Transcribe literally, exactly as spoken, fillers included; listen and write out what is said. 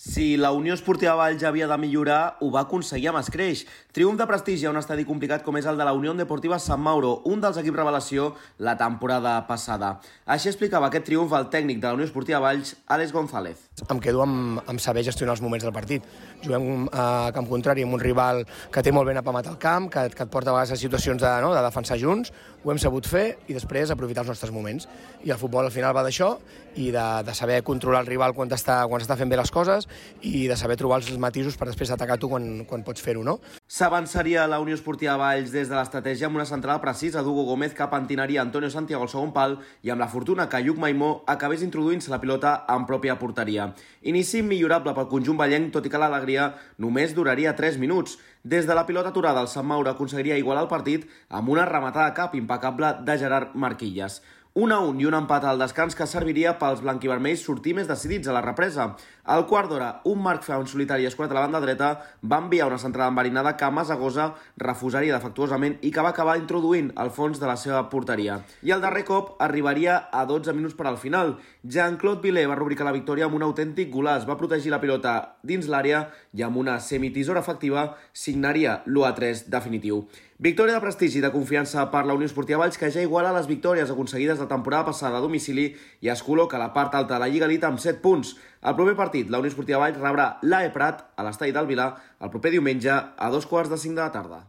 Si la Unió Esportiva Valls havia de millorar, ho va aconseguir amb escreix. Triomf de prestigi a un estadi complicat com és el de la Unió Deportiva Sant Mauro, un dels equips revelació la temporada passada. Així explicava aquest triomf el tècnic de la Unió Esportiva Valls, Àlex González. Em quedo amb, amb saber gestionar els moments del partit. Juguem a camp contrari amb un rival que té molt ben apamat al camp, que, que et porta a vegades a situacions de, no, de defensar junts, ho hem sabut fer i després aprofitar els nostres moments. I el futbol al final va d'això i de, de saber controlar el rival quan està, quan està fent bé les coses i de saber trobar els matisos per després atacar tu quan, quan pots fer-ho, no? S'avançaria la Unió Esportiva Valls des de l'estratègia amb una central precisa d'Hugo Gómez que pentinaria Antonio Santiago al segon pal i amb la fortuna que Lluc Maimó acabés introduint-se la pilota en pròpia porteria. Inici millorable pel conjunt vallenc, tot i que l'alegria només duraria tres minuts. Des de la pilota aturada, el Sant Mauro aconseguiria igualar el partit amb una rematada a cap impecable de Gerard Marquilles. un a un i un empat al descans que serviria pels blanquivermells sortir més decidits a la represa. Al quart d'hora, un Marc Feu en solitari escurat a la banda dreta va enviar una centrada enverinada que Masagosa refusaria defectuosament i que va acabar introduint al fons de la seva porteria. I el darrer cop arribaria a dotze minuts per al final. Jean-Claude Villet va rubricar la victòria amb un autèntic golaç, va protegir la pilota dins l'àrea i amb una semitisora efectiva signaria l'u a tres definitiu. Victòria de prestigi i de confiança per la Unió Esportiva Valls, que ja iguala les victòries aconseguides la temporada passada a domicili i es col·loca a la part alta de la Lliga Elite amb set punts. El proper partit, la Unió Esportiva Valls rebrà l'A E Prat a l'estadi del Vilar el proper diumenge a dos quarts de cinc de la tarda.